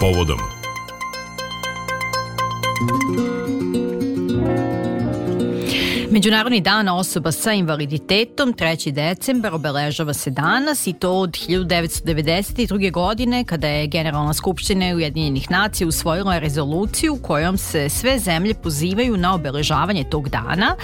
povodom. Međunarodni dan osoba sa invaliditetom 3. decembar obeležava se danas i to od 1992. godine kada je Generalna skupština Ujedinjenih nacija usvojila rezoluciju kojom se sve zemlje pozivaju na obeležavanje tog dana.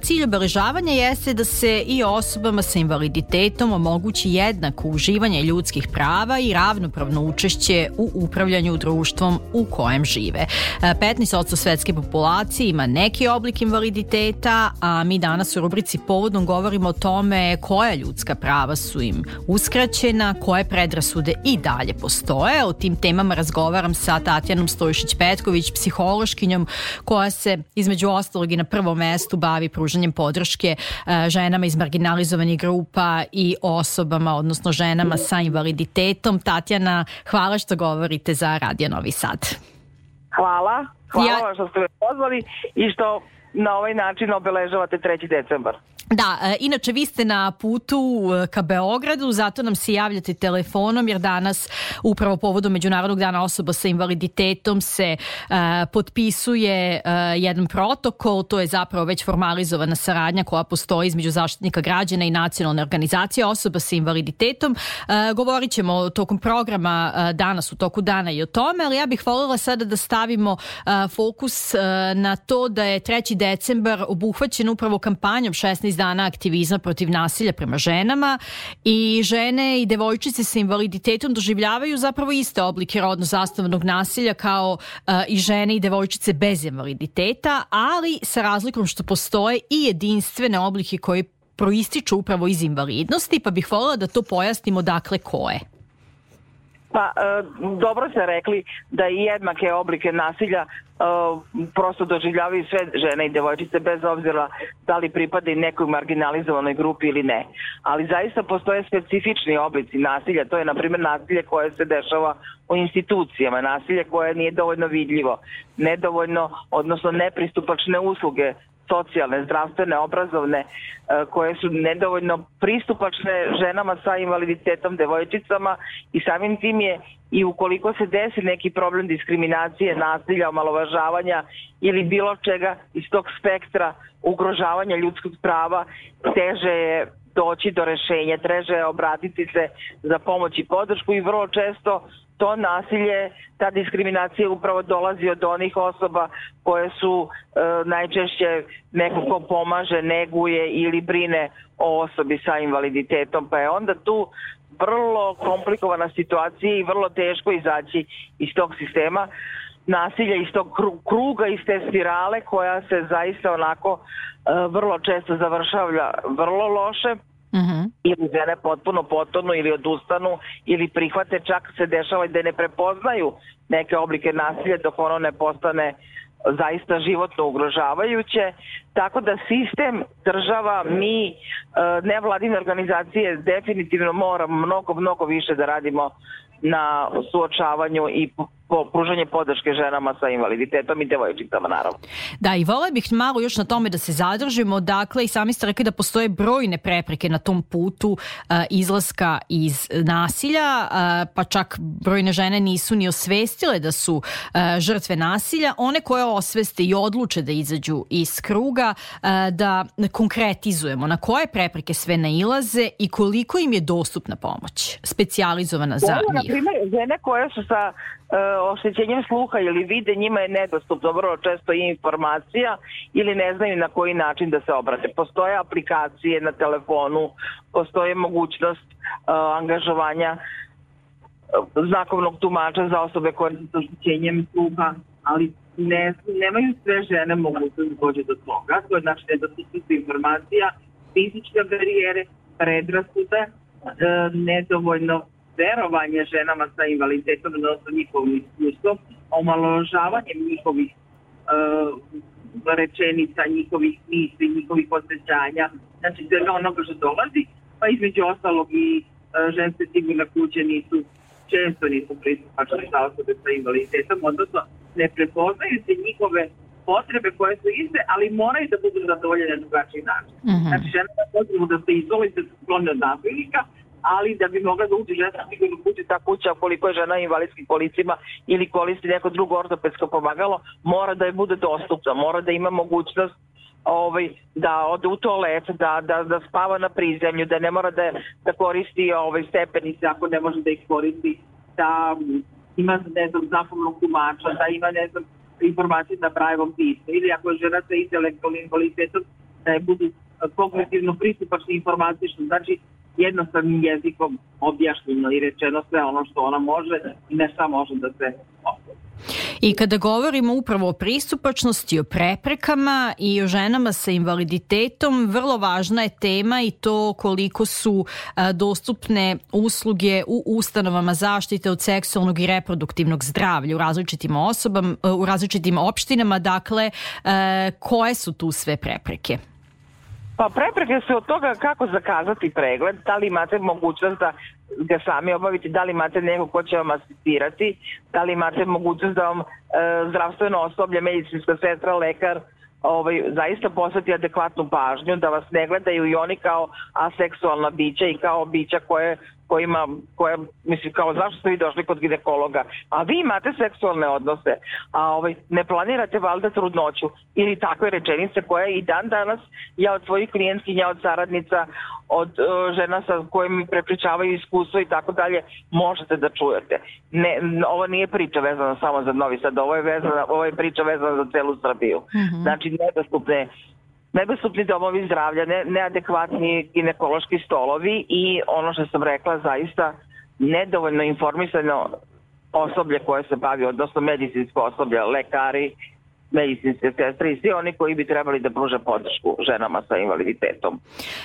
Cilj obeležavanja jeste da se i osobama sa invaliditetom omogući jednako uživanje ljudskih prava i ravnopravno učešće u upravljanju društvom u kojem žive. 15% svetske populacije ima neki oblik invaliditeta, a mi danas u rubrici Povodom govorimo o tome koja ljudska prava su im uskraćena, koje predrasude i dalje postoje. O tim temama razgovaram sa Tatjanom Stojšić-Petković, psihološkinjom koja se između ostalog i na prvom mestu bavi pružanjem podrške ženama iz marginalizovanih grupa i osobama, odnosno ženama sa invaliditetom. Tatjana, hvala što govorite za Radio Novi Sad. Hvala vam što ste me pozvali i što na ovaj način obeležavate 3. decembar. Da, inače vi ste na putu ka Beogradu, zato nam se javljate telefonom jer danas upravo povodom Međunarodnog dana osoba sa invaliditetom se potpisuje jedan protokol, to je zapravo već formalizovana saradnja koja postoji između Zaštitnika građana i Nacionalne organizacije osoba sa invaliditetom. Govorit ćemo tokom programa danas u toku dana i o tome, ali ja bih voljela sada da stavimo fokus na to da je 3. decembar obuhvaćen upravo kampanjom 16 dana aktivizma protiv nasilja prema ženama i žene i devojčice sa invaliditetom doživljavaju zapravo iste oblike rodno zasnovanog nasilja kao i žene i devojčice bez invaliditeta, ali sa razlikom što postoje i jedinstvene oblike koji proističu upravo iz invalidnosti, pa bih voljela da to pojasnimo dakle koje. Pa, dobro ste rekli da i jednake oblike nasilja prosto doživljavaju sve žene i devojčice bez obzira da li pripadaju nekoj marginalizovanoj grupi ili ne. Ali zaista postoje specifični oblici nasilja, to je na primjer nasilje koje se dešava u institucijama, nasilje koje nije dovoljno vidljivo, nedovoljno, odnosno nepristupačne usluge, socijalne, zdravstvene, obrazovne, koje su nedovoljno pristupačne ženama sa invaliditetom, devojčicama i samim tim je i ukoliko se desi neki problem diskriminacije, nasilja, omalovažavanja ili bilo čega iz tog spektra ugrožavanja ljudskih prava, teže je doći do rešenja, teže je obratiti se za pomoć i podršku i vrlo često to nasilje, ta diskriminacija upravo dolazi od onih osoba koje su najčešće neko ko pomaže, neguje ili brine o osobi sa invaliditetom. Pa je onda tu vrlo komplikovana situacija i vrlo teško izaći iz tog sistema nasilja, iz tog kruga, iz te spirale koja se zaista onako vrlo često završava vrlo loše. Ili žene potpuno potonu ili odustanu ili prihvate, čak se dešava da ne prepoznaju neke oblike nasilja dok ono ne postane zaista životno ugrožavajuće. Tako da sistem, država, mi, nevladine organizacije definitivno moramo mnogo više da radimo na suočavanju i pružanje podrške ženama sa invaliditetom i devojčicama, naravno. Da, i volela bih malo još na tome da se zadržimo. Dakle, i sami ste rekli da postoje brojne prepreke na tom putu izlaska iz nasilja, pa čak brojne žene nisu ni osvestile da su žrtve nasilja. One koje osveste i odluče da izađu iz kruga, da konkretizujemo na koje prepreke sve nailaze i koliko im je dostupna pomoć, specijalizovana za njih. Na primjer, žene koje su sa oštećenjem sluha ili vide, njima je nedostupno vrlo često i informacija ili ne znaju na koji način da se obrate. Postoje aplikacije na telefonu, postoje mogućnost angažovanja znakovnog tumača za osobe koje su sa oštećenjem sluha, ali nemaju sve žene mogućnost da dođe do toga. To je znači nedostupnost informacija, fizičke barijere, predrasude, nedovoljno verovanje ženama sa invaliditetom, odnosno njihovim iskustvom, omalovažavanjem njihovih rečenica, njihovih misli, njihovih osjećanja, znači svega onoga što dolazi, pa između ostalog i ženske sigurne kuće često nisu pristupačne za osobe sa invaliditetom, odnosno ne prepoznaju se njihove potrebe koje su iste, ali moraju da budu zadovoljene na drugačiji način. Znači žena je potrebno da se izoli, da se sklone od nasilnika, ali da bi mogla da uđe žena sigurno kući, ta kuća, koliko je žena invalidskim kolicima ili koristi neko drugo ortopedsko pomagalo, mora da je bude dostupna, mora da ima mogućnost da ode u toalet, da spava na prizemlju, da ne mora da koristi stepenice ako ne može da ih koristi, da ima, ne znam, znakovnog tumača, da ima, ne znam, informacije na Brailleovom pismu, ili ako je žena sa intelektualnim invaliditetom, da je budu kognitivno pristupačni informatično, znači jednostavnim jezikom objašnjeno i rečeno sve ono što ona može i ne šta može da se ostavi. I kada govorimo upravo o pristupačnosti, o preprekama i o ženama sa invaliditetom, vrlo važna je tema i to koliko su dostupne usluge u ustanovama zaštite od seksualnog i reproduktivnog zdravlja u različitim opštinama. Dakle, koje su tu sve prepreke? Pa prepreke su od toga kako zakazati pregled, da li imate mogućnost da ga sami obavite, da li imate neko ko će vam asistirati, da li imate mogućnost da vam zdravstveno osoblje, medicinska sestra, lekar zaista posveti adekvatnu pažnju, da vas ne gledaju i oni kao aseksualna bića i kao bića koje mislim, kao zašto ste vi došli kod ginekologa, a vi imate seksualne odnose, a ne planirate valjda trudnoću ili takve rečenice koje i dan danas ja od svojih klijentkinja, od saradnica, od žena sa kojim mi prepričavaju iskustvo i tako dalje, možete da čujete. Ovo nije priča vezana samo za Novi Sad, ovo je priča vezana za celu Srbiju. Znači, nedostupni domovi zdravlja, neadekvatni ginekološki stolovi i ono što sam rekla, zaista nedovoljno informisano osoblje koje se bavi, odnosno medicinsko osoblje, lekari, medicinske sestre i svi oni koji bi trebali da pruže podršku ženama sa invaliditetom.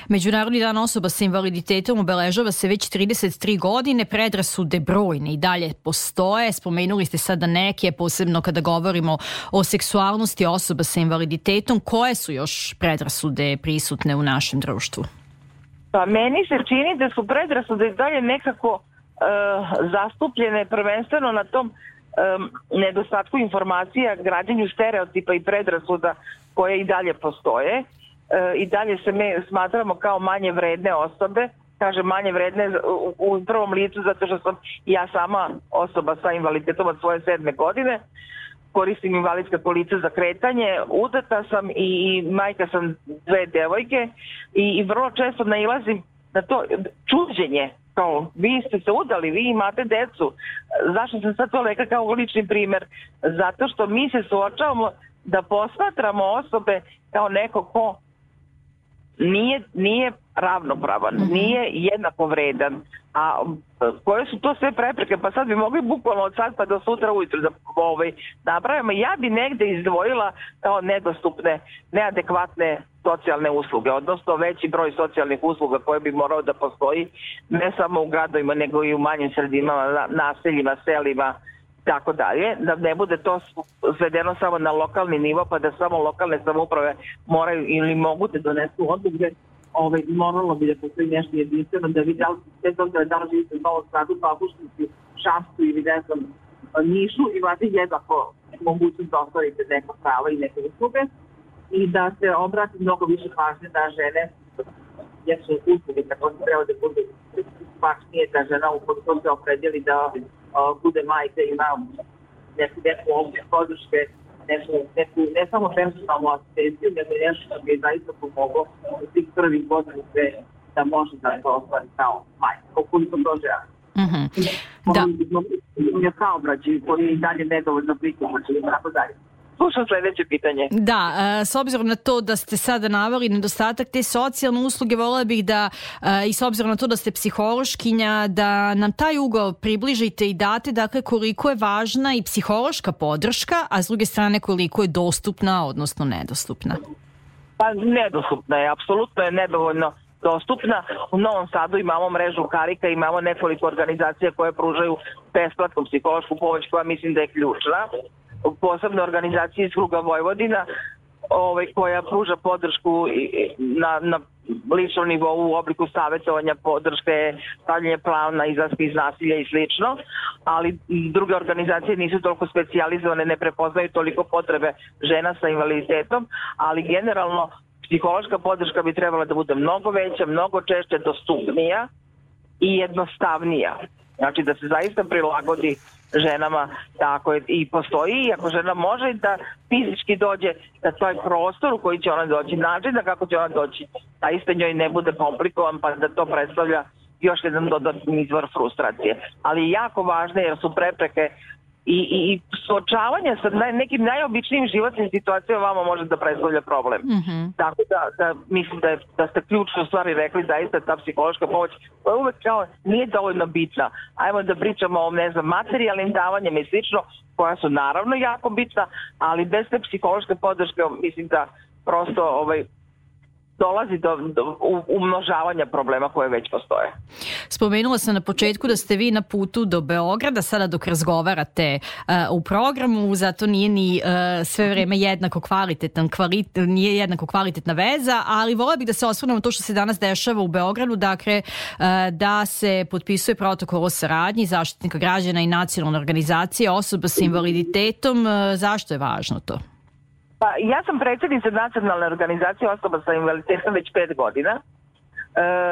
Međunarodni dan osoba sa invaliditetom obeležava se već 33 godine, predrasude brojne i dalje postoje. Spomenuli ste sada neke, posebno kada govorimo o seksualnosti osoba sa invaliditetom. Koje su još predrasude prisutne u našem društvu? Pa meni se čini da su predrasude dalje nekako zastupljene prvenstveno na tom nedostatku informacija, građenju stereotipa i predrasuda koje i dalje postoje. I dalje se mi smatramo kao manje vredne osobe, kažem manje vredne u prvom licu zato što sam ja sama osoba sa invaliditetom od svoje 7. godine, koristim invalidska kolica za kretanje, udata sam i majka sam 2 devojke i vrlo često nailazim na to čuđenje, kao vi ste se udali, vi imate decu. Zašto sam sad to rekla kao lični primer? Zato što mi se suočavamo da posmatramo osobe kao neko ko nije ravnopravan, nije jednako vredan. A koje su to sve prepreke? Pa sad bi mogli bukvalno od sad pa do sutra ujutru da napravimo. Ja bi negde izdvojila kao nedostupne, neadekvatne socijalne usluge, odnosno veći broj socijalnih usluga koje bi morao da postoji ne samo u gradovima nego i u manjim sredinama, naseljima, selima, tako dalje, da ne bude to svedeno samo na lokalni nivo pa da samo lokalne samouprave moraju ili mogu da donesu odluke. Moralo bi da postoji nešto jedinstveno, da vi da li živite u Novom Sadu, Papušnici, Šapcu ili ne znam, Nišu, imate jednako mogućnost da ostvarite neko pravo i neke usluge i da se obrati mnogo više pažnje na žene, jer su usluge tako se treba da budu pažnije da žena ukoliko se opredjeli da bude majka i ima neku ovdje podrške, ne samo personalnu asistenciju, nego nešto što bi je zaista pomoglo u tih prvih godina da može da to ostvari kao majka, ukoliko to žele. Da. Saobraćaj koji je i dalje nedovoljno pristupačan i tako dalje. Slušam sledeće pitanje. Da, s obzirom na to da ste sada naveli nedostatak te socijalne usluge, volela bih da, i s obzirom na to da ste psihološkinja, da nam taj ugao približite i date, dakle, koliko je važna i psihološka podrška, a s druge strane koliko je dostupna, odnosno nedostupna. Pa nedostupna je, apsolutno je nedovoljno dostupna. U Novom Sadu imamo mrežu Karika, imamo nekoliko organizacija koje pružaju besplatnu psihološku pomoć koja mislim da je ključna. Posebne organizacije iz kruga Vojvodina koja pruža podršku na ličnom nivou u obliku savjetovanja, podrške, stavljanje plana, izlaska iz nasilja i slično, ali druge organizacije nisu toliko specijalizovane, ne prepoznaju toliko potrebe žena sa invaliditetom, ali generalno psihološka podrška bi trebala da bude mnogo veća, mnogo češće, dostupnija i jednostavnija. Znači da se zaista prilagodi ženama, tako je, i postoji, i ako žena može da fizički dođe na taj prostor u koji će ona doći, način da kako će ona doći, zaista njoj ne bude komplikovan, pa da to predstavlja još jedan dodatni izvor frustracije. Ali je jako važno jer su prepreke i suočavanje sa nekim najobičnijim životnim situacijama vama može da predstavlja problem. Tako da mislim da ste ključno stvari rekli, zaista ta psihološka pomoć koja uvek kao nije dovoljno bitna. Ajmo da pričamo o materijalnim davanjima i slično, koja su naravno jako bitna, ali bez te psihološke podrške mislim da prosto dolazi do umnožavanja problema koje već postoje. Spomenula sam na početku da ste vi na putu do Beograda, sada dok razgovarate u programu, zato nije ni sve vreme nije jednako kvalitetna veza, ali vola bih da se osvrnemo to što se danas dešava u Beogradu, dakle da se potpisuje protokol o saradnji Zaštitnika građana i nacionalne organizacije osoba sa invaliditetom. Zašto je važno to? Pa ja sam predsjednica nacionalne organizacije osoba sa invaliditetom već 5 godina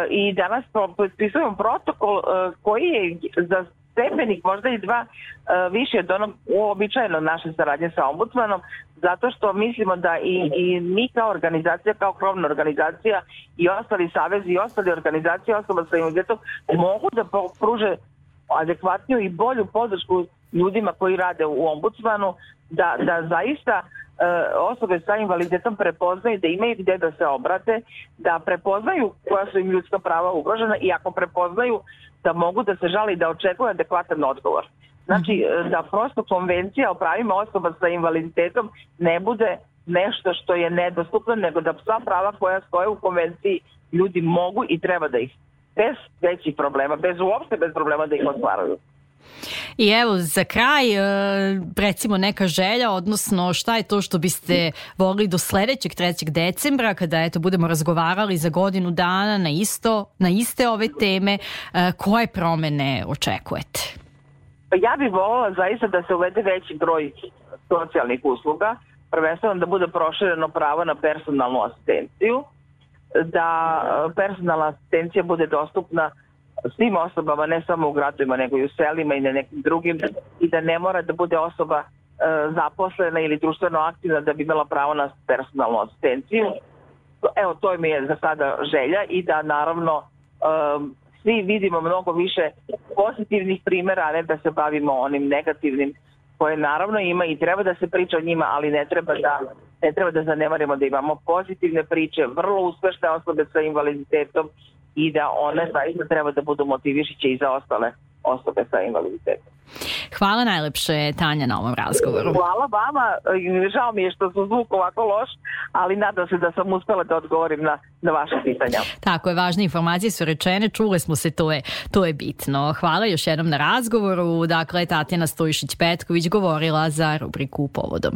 i danas potpisujemo protokol koji je za stepenik možda i 2 više od onog uobičajeno naše saradnje sa ombudsmanom, zato što mislimo da i mi kao organizacija, kao krovna organizacija i ostali savezi i ostale organizacije osoba sa invaliditetom mogu da pruže adekvatniju i bolju podršku ljudima koji rade u ombudsmanu, da zaista osobe sa invaliditetom prepoznaju da imaju gde da se obrate, da prepoznaju koja su im ljudska prava ugrožena i ako prepoznaju da mogu da se žali i da očekuju adekvatan odgovor. Znači da prosto konvencija o pravima osoba sa invaliditetom ne bude nešto što je nedostupno, nego da sva prava koja stoje u konvenciji ljudi mogu i treba da ih bez većih problema, bez problema da ih ostvaruju. I evo za kraj recimo neka želja, odnosno šta je to što biste volili do sledećeg 3. decembra kada budemo razgovarali za godinu dana na iste ove teme, koje promene očekujete? Ja bih voljela zaista da se uvede veći broj socijalnih usluga, prvenstveno da bude prošireno pravo na personalnu asistenciju, da personalna asistencija bude dostupna svim osobama, ne samo u gradovima, nego i u selima i na nekim drugim, i da ne mora da bude osoba zaposlena ili društveno aktivna da bi imala pravo na personalnu asistenciju. Evo, to mi je za sada želja i da naravno svi vidimo mnogo više pozitivnih primjera, a ne da se bavimo onim negativnim koje naravno ima i treba da se priča o njima, ali ne treba da zanemarimo da imamo pozitivne priče, vrlo uspešne osobe sa invaliditetom i da one zaista treba da budu motivišiće i za ostale osobe sa invaliditetom. Hvala najlepše, Tanja, na ovom razgovoru. Hvala vama, žao mi je što su zvuk ovako loš, ali nadam se da sam uspela da odgovorim na vaše pitanja. Tako je, važne informacije su rečene, čule smo se, to je bitno. Hvala još jednom na razgovoru. Dakle, Tatjana Stojšić-Petković govorila za rubriku Povodom.